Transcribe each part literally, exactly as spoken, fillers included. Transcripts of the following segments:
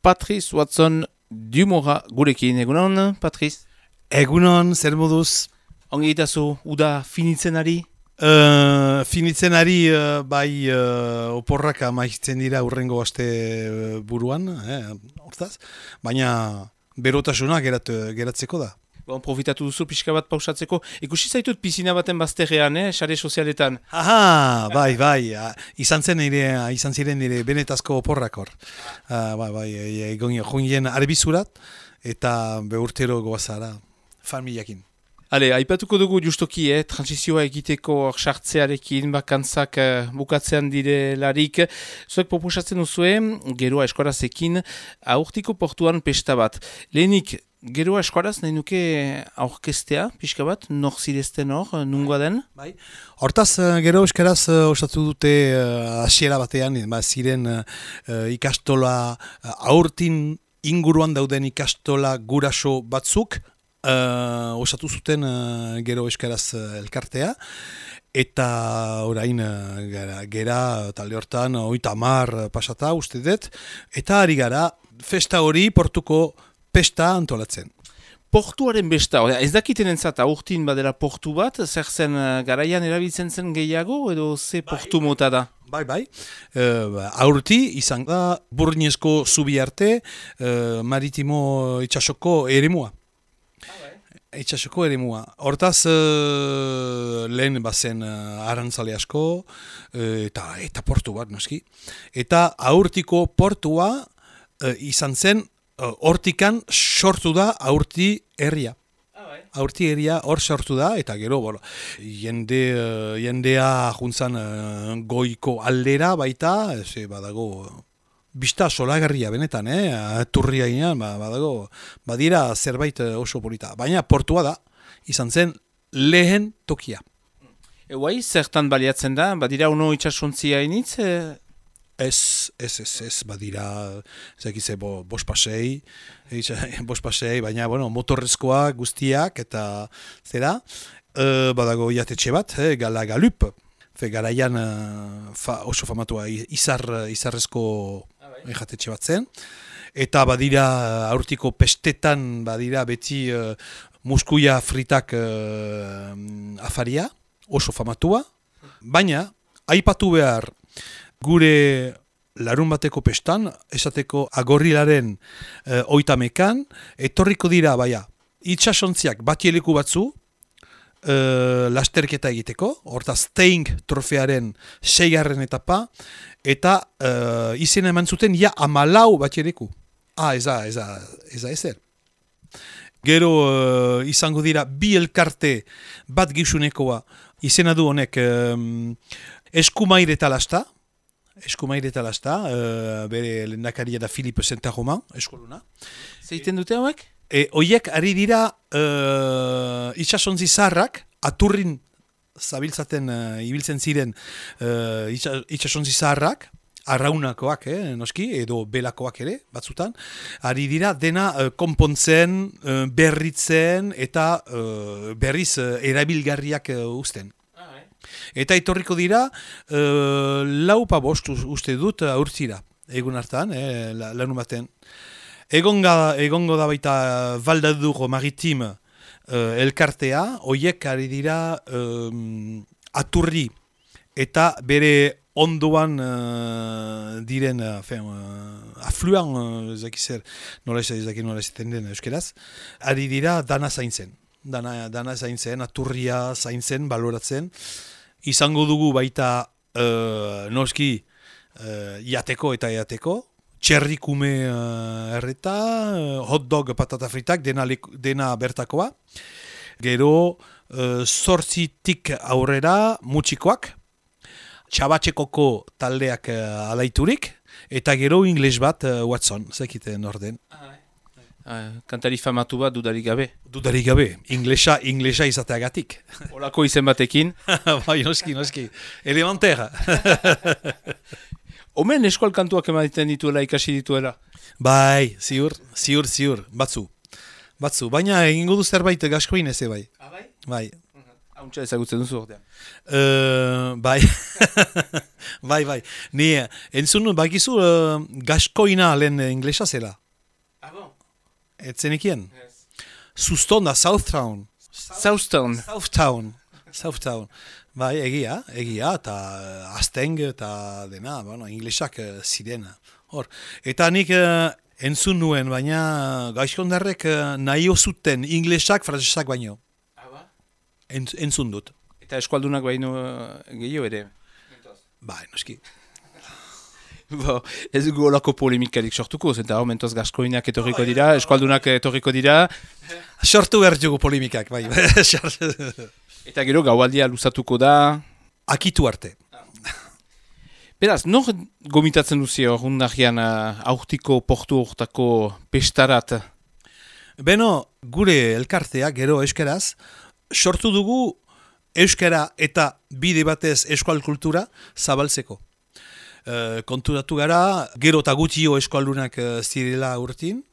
Patrice Watson Dumora gurekin. Egunon, Patrice? Egunon, zer moduz? Ongi itazu, uda finitzen ari? Uh, finitzen ari, uh, bai, uh, oporrak amaitzen dira urrengo aste uh, buruan, eh, hortaz, baina berotasuna gerat, geratzeko da. Bon, profitatu duzu pixka bat pausatzeko. Ikusi zaitut pizina baten bazterrean, eh, sare sozialetan. Aha, bai, bai, uh, izan zen nire, izan ziren nire benetazko oporrak hor. Uh, bai, bai, egon joan arbizurat, eta beurtero goazara, familiakin. Hale, aipatuko dugu justoki, eh, transizioa egiteko sartzearekin, bakantzak uh, bukatzean direlarik. Zuek proposatzen duzue, geroa eskorazekin, aurtiko portuan pesta bat. Lehenik, geroa eskoraz nahi nuke aurkestea, pixka bat, nor zirezten hor, nungoa den? Bai. Hortaz, gero eskaraz uh, osatu dute hasiera uh, batean, ba, ziren uh, ikastola, uh, aurtin inguruan dauden ikastola guraso batzuk, Uh, osatu zuten uh, gero eskaraz uh, elkartea, eta orain uh, gara, gera talde hortan oita hamar pasata uste dut, eta ari gara festa hori portuko pesta antolatzen. Portuaren besta, ez dakiten entzat aurtin badela portu bat, zer zen uh, garaian erabiltzen zen gehiago, edo ze portu mota da? Bai, bai. Uh, aurti izan da Burniesko zubi arte uh, maritimo itxasoko eremua. Itxasoko eremua. Hortaz, uh, lehen bazen uh, arantzale asko, uh, eta, eta portu bat, noski. Eta aurtiko portua uh, izan zen, uh, hortikan sortu da aurti herria. Aurti herria hor sortu da, eta gero, bolo, jende, uh, jendea juntzan uh, goiko aldera baita, ze badago... Bista solagarria benetan, eh? Turria ginean, ba, badago, badira zerbait oso polita. Baina portua da, izan zen lehen tokia. Eguai, zertan baliatzen da? Badira uno itxasontzia initz? E... Ez, ez, ez, ez, badira, zekize, bo, bos pasei, bos pasei, baina, bueno, motorrezkoa guztiak, eta zera, e, badago jatetxe bat, eh? Gala galup. Fe garaian uh, fa, oso famatua izar, izarrezko jatetxe bat zen. Eta badira aurtiko pestetan badira beti uh, muskuia fritak uh, afaria, oso famatua. Baina, aipatu behar gure larun bateko pestan, esateko agorrilaren uh, oitamekan, etorriko dira, baia, itxasontziak batieleku batzu, Uh, lasterketa egiteko, hortaz Steing trofearen seigarren etapa, eta uh, izena eman zuten ja amalau batiereku. Ah, eza, eza, eza ezer. Gero uh, izango dira bi elkarte bat gizunekoa, izena du honek um, eskumaire talasta, eskumaire talasta, uh, bere lehendakaria da Philippe Saint-Romain, eskoluna. Zeiten dute hauek? E, oiek ari dira uh, itxasontzi zaharrak, aturrin zabiltzaten uh, ibiltzen ziren uh, itxasontzi zaharrak, arraunakoak, eh, noski, edo belakoak ere, batzutan, ari dira dena uh, konpontzen, uh, berritzen eta uh, berriz uh, erabilgarriak uh, uzten. Eta etorriko dira, uh, lau pa bost uste dut uh, urtzira, egun hartan, eh, lanun baten. Egonga, egongo da baita Valdadur Maritim uh, elkartea, hoiek ari dira um, aturri eta bere ondoan uh, diren, uh, fen, uh, afluan, uh, ezakizer, nola ezakit nola ezaten den euskeraz, ari dira dana zaintzen. Dana, dana zaintzen, aturria zaintzen, baloratzen. Izango dugu baita uh, noski uh, iateko eta iateko, txerrikume uh, erreta, uh, hot dog patata fritak, dena, dena bertakoa. Gero, uh, zortzitik aurrera mutxikoak, txabatxekoko taldeak uh, alaiturik, eta gero ingles bat uh, Watson, zekiten orden. Uh, kantari famatu bat dudarik gabe. Dudarik gabe, inglesa, inglesa izateagatik. Olako izen batekin. Bai, noski, noski. Elementaire. Omen eskual kantuak ematen dituela, ikasi dituela? Bai, ziur, ziur, ziur, batzu. Batzu, baina egingo du zerbait gaskoin ez bai. Ah, bai? Bai. Hauntza ezagutzen duzu ordean. Uh, bai, bai, bai. Ni, entzun, bakizu, uh, gaskoina lehen inglesa zela. Ah, bon? Etzenekien? Yes. Suston da Southtown. Southtown. Southtown. Southtown. Bai, egia, egia, eta uh, Asteng, eta dena, bueno, inglesak uh, ziren. Hor, eta nik uh, entzun nuen, baina gaizkondarrek uh, nahi zuten inglesak, frantsesak baino. Ah, ba? Entz, entzun dut. Eta eskualdunak baino uh, gehiago ere. Bai, noski. Bo, ez dugu olako polemikarik sortuko, zenta hor mentoz gaskoinak etorriko dira, eskualdunak etorriko dira. Sortu behar dugu polemikak, bai. Eta gero gaualdia luzatuko da. Akitu arte. Beraz, nor gomitatzen duzi hor hundagian uh, aurtiko portu hortako pestarat? Beno, gure elkartea, gero euskaraz, sortu dugu euskara eta bide batez eskual kultura zabaltzeko. Uh, konturatu gara, gero eta gutio eskualdunak uh, zirela urtin,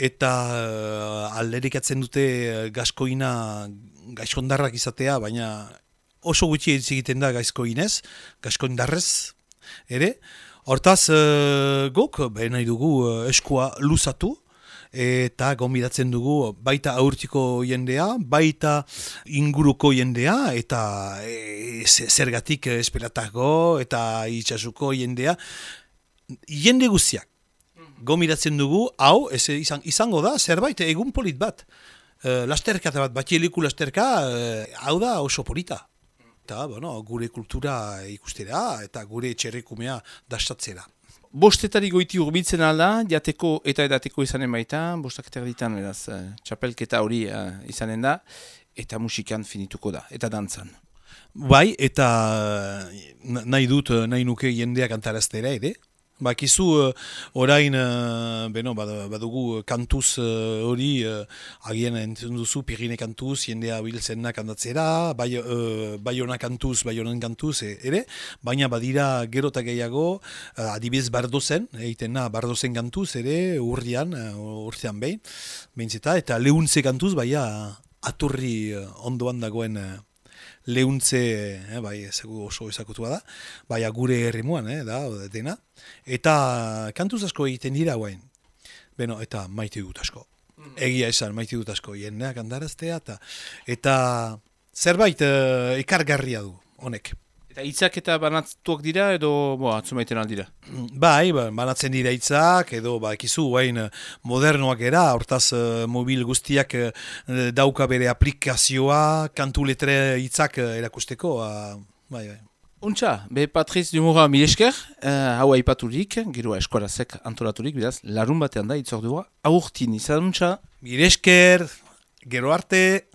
eta uh, alderikatzen dute uh, gaskoina gaizkondarrak izatea, baina oso gutxi egiten da gaizkoinez, gaizkoindarrez ere. Hortaz, uh, gok, behin nahi dugu uh, eskua luzatu, eta gonbidatzen dugu baita aurtiko jendea, baita inguruko jendea, eta e, zergatik esperatako, eta itxasuko jendea, jende guztiak. Gonbidatzen dugu, hau, ez, izan, izango da, zerbait, egun polit bat. E, lasterka bat, batieliku lasterka, e, hau da oso polita. Eta, bueno, gure kultura ikustera, eta gure txerrikumea dastatzera. Bostetari goiti urbiltzen alda, jateko eta edateko izanen baita, bostak eta erditan, eraz, uh, txapelketa hori uh, izanen da, eta musikan finituko da, eta dantzan. Bai, eta nahi dut, nahi nuke jendeak antaraztera ere. Bakizu, uh, orain, uh, beno, badugu kantuz hori, uh, uh, agien entzun duzu, Pirine kantuz, jendea biltzen kantatzera, bai, uh, Baiona kantuz, Baionan kantuz e, ere, baina badira gero eta gehiago, uh, adibidez Bardozen, egiten na, Bardozen kantuz ere, urrian, uh, urtean behin, behintzeta, eta Lehuntze kantuz, baina aturri uh, ondoan dagoen uh, Lehuntze, eh, bai, ezegu oso ezakutua da, bai, gure herrimuan, eh, da, dena, eta kantuz asko egiten dira guain. Beno, eta maite dut asko. Egia esan, maite dut asko, jendeak andaraztea, eta, eta zerbait uh, ekargarria du, honek. Eta hitzak eta banatuak dira, edo, bo, atzumaiten aldira? Bai, ba, banatzen dira hitzak, edo, ba, ekizu, guain, modernoak era, hortaz, uh, mobil guztiak uh, dauka bere aplikazioa, kantu letre hitzak uh, erakusteko, uh, bai, bai. Untxa, be Patriz Dumora milesker, uh, hau aipaturik, gero eskolazek antolaturik, beraz, larun batean da, itzordua, aurtin izan, untxa? Milesker, gero arte.